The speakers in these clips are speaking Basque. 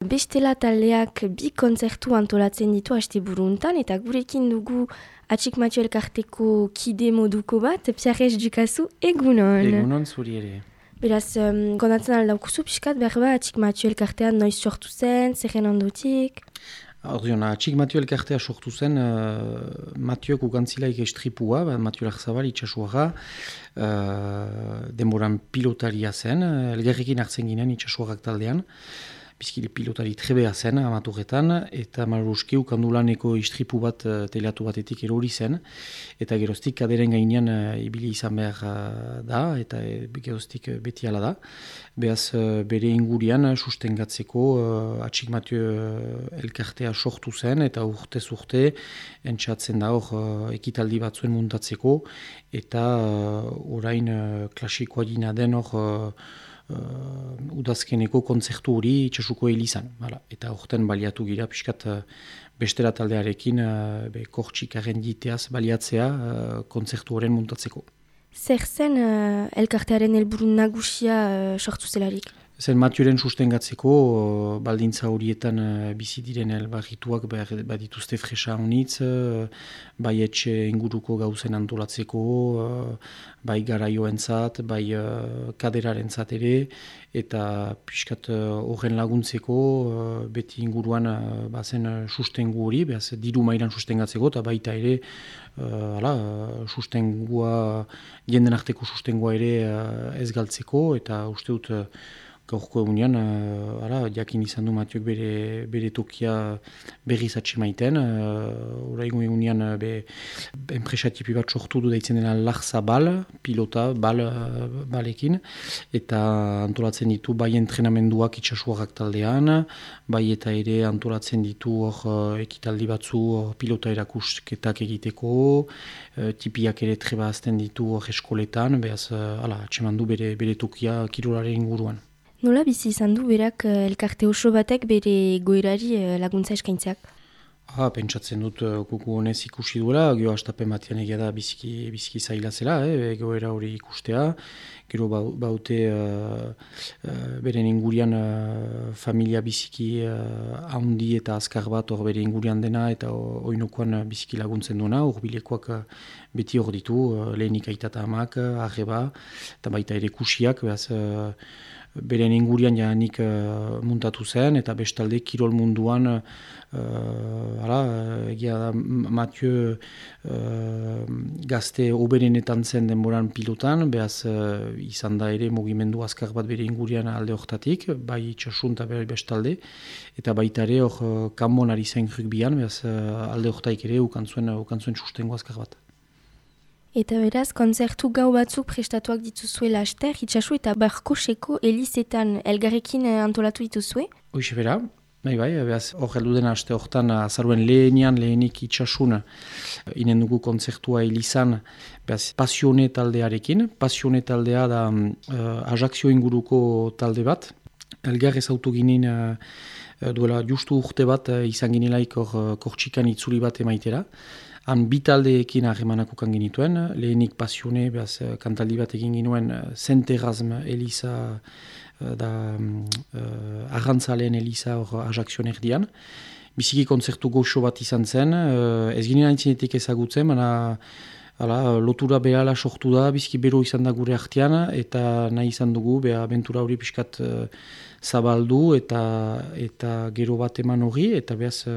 Bestela taldeak bi kontzertu antolatzen ditu asteburuntan eta gurekin dugu Atxik Matio elkarteko kide moduko bat, Pierre Dukazu, egunon. Egunon zuri ere. Beraz, gonatzen aldaukuzu pixkat, berba Atxik Matio elkartean noiz sortu zen, zerren ondotik? Ordeon, Atxik Matio elkartea sortu zen, Matioek ukantzilaik estripua, Matio Larzabal itxasuaga, denboran pilotaria zen, elgerrekin hartzen ginen itxasuagak taldean, bizkile pilotari trebea zen amaturretan, eta maruski ukandulaneko istripu bat teleatu batetik erori zen, eta geroztik kaderen gainean ibili izan behar da, eta geroztik beti ala da. Beaz bere ingurian sustengatzeko Atxik Matio elkartea sortu zen, eta urtez urte entxatzen da hor ekitaldi batzuen muntatzeko, eta orain klasikoa dina den hor udazkeneko kontzertu hori itxasuko helizan. Eta horten baliatu gira, piskat bestera taldearekin kortxikaren diteaz baliatzea kontzertu horren muntatzeko. Zer zen elkartearen helburu nagusia sortu zelarik? Zen Matioren sustengatzeko, baldintza horietan bizi diren elbarrituak badituzte fresa honitz, bai etxe inguruko gauzen antolatzeko, bai garaioentzat, bai kaderarentzat ere, eta piskat horren laguntzeko, beti inguruan bazen sustengu hori, behaz diru mailan sustengatzeko, eta baita ere, sustengua, jenden arteko sustengua ere ez galtzeko, eta uste dut, gaurko egunean, jakin izan du Matioek bere tokia berriz atxemaiten. Horaigun egunean enpresatipi bat sortu du daitzen dena Larzabal, pilota, balekin, eta antolatzen ditu bai entrenamenduak itxasuarrak taldean, bai eta ere antolatzen ditu hor ekitaldi batzu pilota erakusketak egiteko, tipiak ere treba azten ditu hor eskoletan, behaz atxeman du bere tokia kirolaren inguruan. Nola bizi izan du berak elkarte oso batek bere goerari laguntza eskaintzeak? Pentsatzen dut kuku honez ikusi duela, gero hastapen batean egia da biziki zaila zela, goera hori ikustea. Gero baute beren ingurian familia biziki haundi eta azkar bat hor bere ingurian dena eta oinokoan biziki laguntzen duena, urbilekoak beti hor ditu, lehenik aitata amak, arreba, eta baita ere kusiak, behaz beren ingurian janik muntatu zen, eta bestalde kirol munduan egia da Matio gazte oberenetan zen denboran pilotan, behaz izan da ere mugimendu azkar bat bere ingurian alde hortatik, bai itxasun eta bestalde, eta baita ere hor kanbon ari zen rugbian, behaz alde hortaik ere ukantzuen sustengo azkar bat. Eta beraz, kontzertu gau batzuk prestatuak dituzue laster, itxasu eta Barkoseko elizetan elgarrekin antolatu dituzue? Hoxe bera, bai, behaz hor heldu dena aste hortan azaruen lehenik itxasuna inen dugu kontzertua elizan, behaz Pasione taldearekin. Pasione taldea da Ajaxio inguruko talde bat. Elgar ezautu ginen duela justu urte bat izan ginelaik hor Kortxikan itzuli bat emaitera. Han bi taldeekin harremanak ukan genituen, lehenik Pasione, behaz kantaldi bat egin ginuen Zenterrazm Eliza da arrantzaleen Eliza hor Ajaxion erdian. Biziki kontzertu goxo bat izan zen, ez ginen aintzinetik ezagutzen, lotura behala sortu da, biziki bero izan da gure artean, eta nahi izan dugu, abentura hori pixkat zabaldu eta gero bat eman hori, eta behaz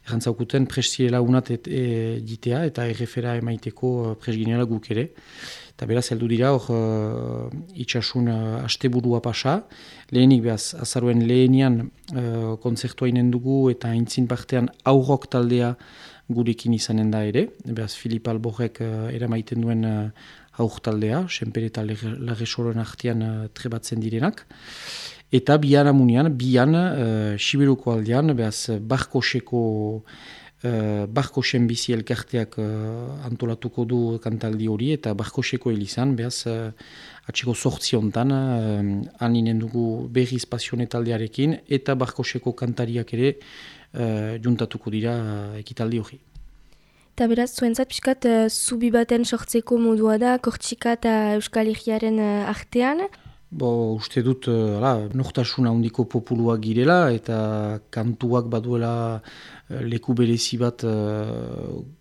errantzaukuten prestiela unat ditea, eta errefera emaiteko presginela guk ere. Eta beraz, heldu dira hor itxasun asteburua pasa, lehenik behaz azaruen lehenian kontzertua inen dugu, eta aintzin partean aurrok taldea gurekin izanen da ere, behaz Filip Alborrek eramaiten duen aur taldea, Senpere eta Larresoren artean trebatzen direnak. Eta bian Siberuko aldean, behaz Barkosen bizi elkarteak antolatuko du kantaldi hori, eta Barkoseko elizan, behaz atxeko sortziontan, aninen dugu berriz Pasione taldearekin, eta Barkoseko kantariak ere juntatuko dira ekitaldi hori. Eta beraz, zuentzat pixkat zubi baten sortzeko modua da, Kortxika eta Euskal Herriaren artean? Uste dut, nortasuna handiko populuak girela eta kantuak baduela leku berezi bat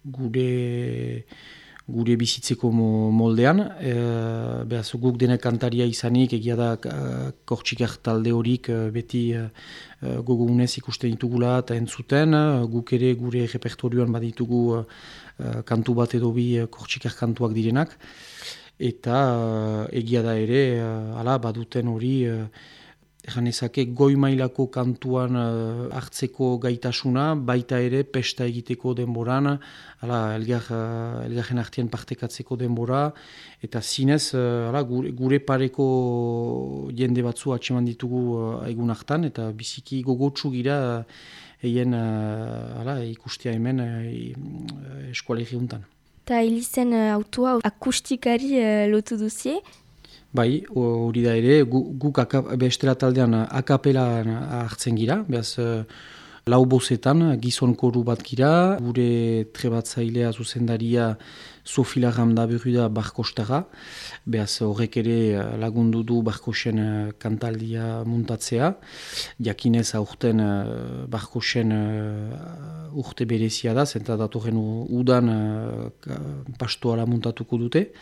gure bizitzeko moldean. Behaz, guk denak kantaria izanik, egia da Kortxikar talde horik beti gogounez ikusten ditugula eta entzuten. Guk ere gure repertorioan baditugu kantu bat edo bi Kortxikar kantuak direnak. Eta egia da ere, baduten hori, ezake goi mailako kantuan hartzeko gaitasuna, baita ere pesta egiteko denboran, elgarren artean partekatzeko denbora, eta zinez gure pareko jende batzu atseman ditugu egun hartan, eta biziki gogotsu gira eien ikustea hemen eskualegi untan. Eta hilizen autua akustikari lotu duzie? Bai, hori da ere, guk bestela taldean akapela hartzen gira, behaz lau bozetan gizon koru bat gira, gure trebatzailea zuzendaria Sofila Ramda berru da Barkostara, behaz horrek ere lagundu du Barkosen kantaldia muntatzea, jakinez aurten Barkosen urte berezia da, zenta datorren udan pastoala muntatuko dute,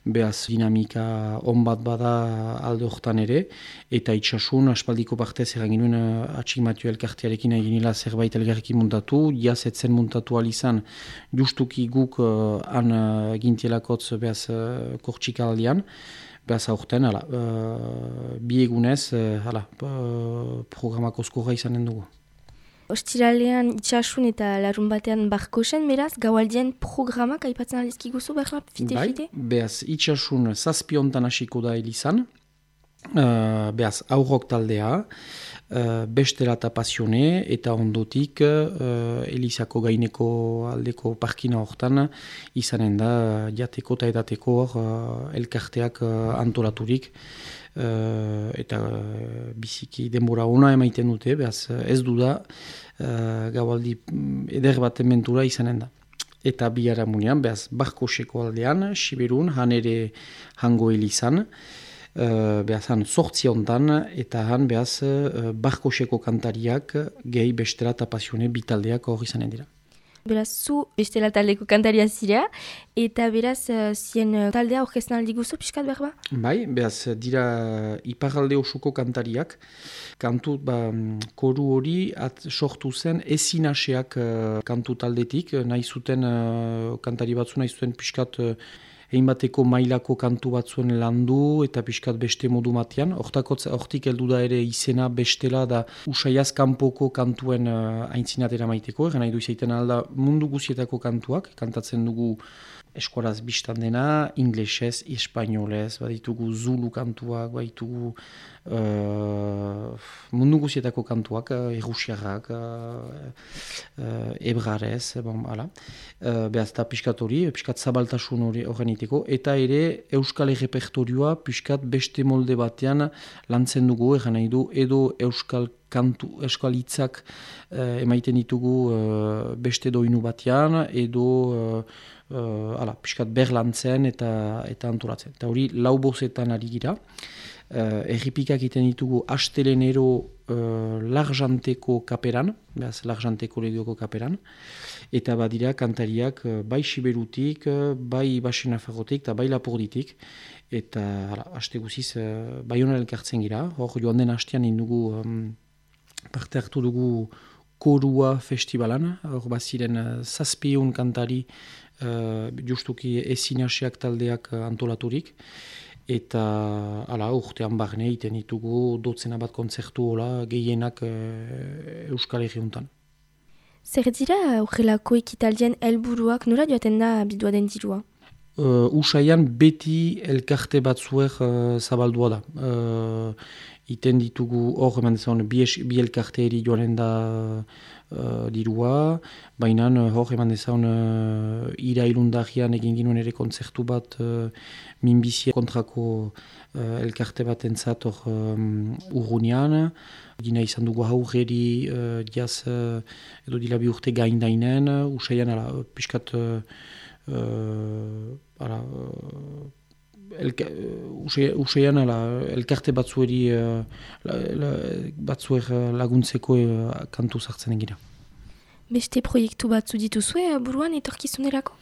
behaz dinamika on bat bada alde hortan ere, eta itxasun aspaldiko partez erranginuen Atxik Matio elkartearekin eginila zerbait elgarrekin muntatu, jazetzen muntatu alizan justuki guk gintielakotz behaz Kortxikaldian, behaz aurten, bi egunez, programako skorra izanen dugu. Ostiralean itxasun eta larun batean Barkosen, beraz, gaualdien programak aipatzen aldizkiguzu, behar fite-fite? Bai, behaz itxasun zazpiontan hasiko da elizan, behaz aurrok taldea, bestela eta pasione, eta ondotik elizako gaineko aldeko parkina hortan izanen da jateko eta edateko elkarteak antolaturik, eta biziki denbora ona emaiten dute, behaz ez du da gaualdi eder baten mentura izanen da. Eta biharamunean, behaz Barkoseko aldean, Siberun, han ere hango elizan, behaz han sortzi ontan, eta han behaz Barkoseko kantariak gehi bestela eta pasione bitaldeak hori izanen dira. Beraz, zu bestela taldeko kantaria zirea, eta beraz, zien taldea orkestan aldi guzu, pixkat berba? Bai, behaz, dira iparalde osuko kantariak. Kantu, koru hori sortu zen ezinaseak kantu taldetik, nahi zuten kantari batzu, nahi zuten pixkat egin bateko mailako kantu batzuen landu eta pixkat beste modu matean. Hortik heldu da ere izena bestela da usaiaz kanpoko kantuen aintzinatera maiteko. Egan nahi du izaiten alda mundu guzietako kantuak, kantatzen dugu eskuaraz biztan dena, inglesez, espainolez, baditugu zulu kantuak, baditugu mundu guzietako kantuak, errusiarrak, ebrarez, behaz da pixkat hori, pixkat zabaltasun horren iteko, eta ere euskal repertorioa pixkat beste molde batean lantzen dugu, egan nahi du, edo euskal hitzak emaiten ditugu beste doinu batean, edo pixkat berlantzen eta antolatzen. Eta hori lau bozetan ari gira. Erripikak iten ditugu astelenero Larjanteko kaperan, behaz Larjanteko legioko kaperan, eta badira kantariak bai Siberutik, bai Baxenafarrotik eta bai Lapurditik, eta aste guziz Baionan elkartzen gira. Hor joan den hastean indugu parte hartu dugu Korua festivalan, hor baziren 700 kantari justuki ezinaseak taldeak antolaturik, eta urtean barne iten ditugu dotzena bat kontzertu gehienak Euskal Herriuntan. Zer dira horrelako ekitaldien helburuak nora joaten da bidua den dirua? Usaian beti elkarte batzuek zabaldua da. Iten ditugu hor eman dezagun bi elkarte eri joanen da dirua, baina hor eman dezagun irailundagian egin ginuen ere kontzertu bat minbizia kontrako elkarte bat entzat hor urrunean. Gina izan dugu haurreri jaz edo dilabi urte gaindainen, usaian piskat useian elkarte batzueri batzuer laguntzeko kantu sartzen egira. Beste proiektu batzu dituzue buruan etorkizunerako?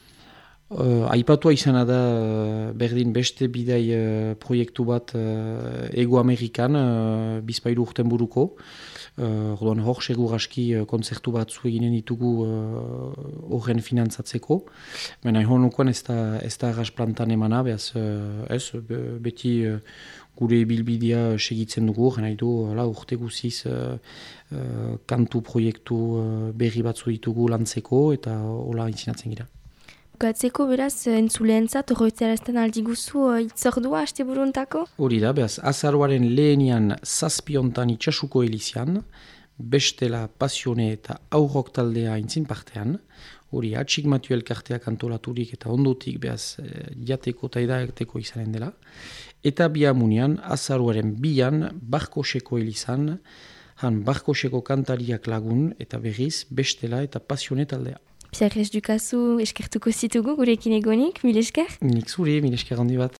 Aipatua izana da berdin beste bidai proiektu bat Ego Amerikan bizpairu urten buruko. Orduan hor segur aski kontzertu batzu eginen ditugu horren finantzatzeko. Baina honukoan ez da arras plantan emana, behaz beti gure bilbidea segitzen dugu, nahi du urte guziz kantu proiektu berri batzu ditugu lantzeko eta hola intzinatzen gira. Gatzeko beraz, entzuleentzat horretzarazten aldi guzu itzordua haste buruntako? Hori da, behaz, azaroaren lehenian zazpiontan itxasuko elizian, bestela pasione eta aurrok taldea intzin partean, hori atxik Matio elkarteak antolaturik eta ondotik behaz jateko eta edaerteko izanen dela, eta bihamunean azaroaren bian Barkoseko elizan, han Barkoseko kantariak lagun eta berriz bestela eta pasione taldea. Pierre Ducasu eskertuko zitugu gurekin egonik, mil esker? Nik zure, mil esker handi bat.